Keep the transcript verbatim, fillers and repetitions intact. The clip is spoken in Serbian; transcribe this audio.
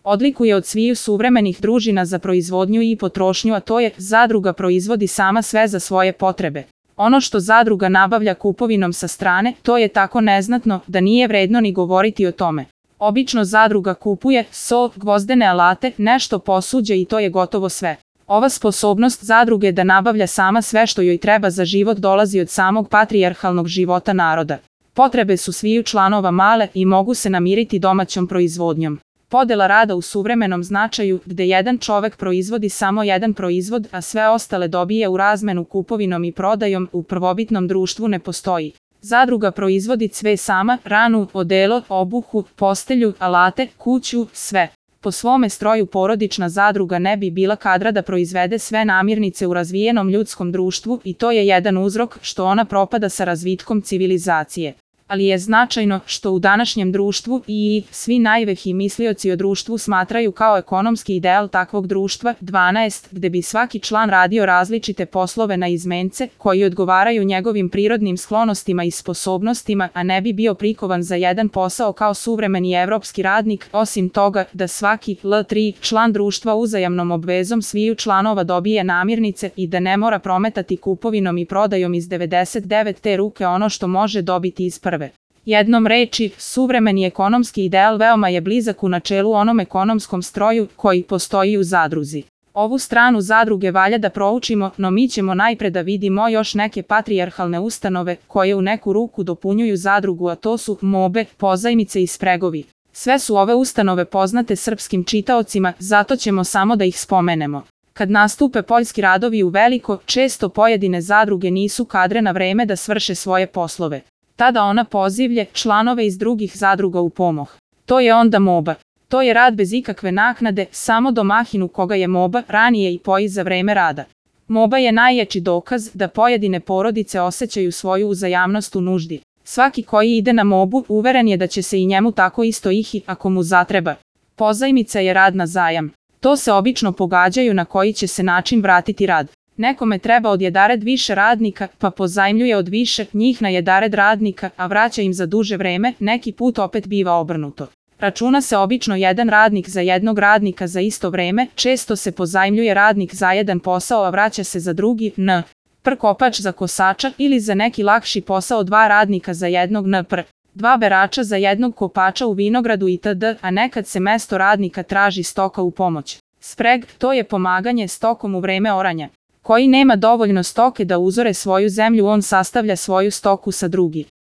odlikuje od sviju suvremenih družina za proizvodnju i potrošnju, a to je zadruga proizvodi sama sve za svoje potrebe. Ono što zadruga nabavlja kupovinom sa strane, to je tako neznatno da nije vredno ni govoriti o tome. Obično zadruga kupuje so, gvozdene alate, nešto posuđe i to je gotovo sve. Ova sposobnost zadruge da nabavlja sama sve što joj treba za život dolazi od samog patrijarhalnog života naroda. Potrebe su sviju članova male i mogu se namiriti domaćom proizvodnjom. Podela rada u suvremenom značaju, gde jedan čovek proizvodi samo jedan proizvod, a sve ostale dobije u razmenu kupovinom i prodajom, u prvobitnom društvu ne postoji. Zadruga proizvodi sve sama, ranu, odelo, obuhu, postelju, alate, kuću, sve. Po svome stroju porodična zadruga ne bi bila kadra da proizvede sve namirnice u razvijenom ljudskom društvu i to je jedan uzrok što ona propada sa razvitkom civilizacije. Ali je značajno što u današnjem društvu i svi najveći mislioci o društvu smatraju kao ekonomski ideal takvog društva dvanaest, gde bi svaki član radio različite poslove na izmence koji odgovaraju njegovim prirodnim sklonostima i sposobnostima, a ne bi bio prikovan za jedan posao kao suvremeni evropski radnik, osim toga da svaki L tri član društva uzajamnom obvezom sviju članova dobije namirnice i da ne mora prometati kupovinom i prodajom iz devedeset devete ruke ono što može dobiti iz prve. Jednom reči, suvremeni ekonomski ideal veoma je blizak u načelu onom ekonomskom stroju koji postoji u zadruzi. Ovu stranu zadruge valja da proučimo, no mi ćemo najpre da vidimo još neke patrijarhalne ustanove koje u neku ruku dopunjuju zadrugu, a to su mobe, pozajmice i spregovi. Sve su ove ustanove poznate srpskim čitaocima, zato ćemo samo da ih spomenemo. Kad nastupe poljski radovi u veliko, često pojedine zadruge nisu kadre na vreme da svrše svoje poslove. Tada ona pozivlje članove iz drugih zadruga u pomoć. To je onda moba. To je rad bez ikakve naknade, samo domaćinu koga je moba ranije i poji za vreme rada. Moba je najjači dokaz da pojedine porodice osjećaju svoju uzajamnost u nuždi. Svaki koji ide na mobu uveren je da će se i njemu tako isto ihi ako mu zatreba. Pozajmica je rad na zajam. To se obično pogađaju na koji će se način vratiti rad. Nekome treba od jedared više radnika, pa pozajmljuje od više njih na jedared radnika, a vraća im za duže vreme, neki put opet biva obrnuto. Računa se obično jedan radnik za jednog radnika za isto vreme, često se pozajmljuje radnik za jedan posao, a vraća se za drugi, n. pr. kopač za kosača ili za neki lakši posao dva radnika za jednog n. pr. dva berača za jednog kopača u vinogradu itd., a nekad se mesto radnika traži stoka u pomoć. Spreg, to je pomaganje stokom u vreme oranja. Koji nema dovoljno stoke da uzore svoju zemlju, on sastavlja svoju stoku sa drugi.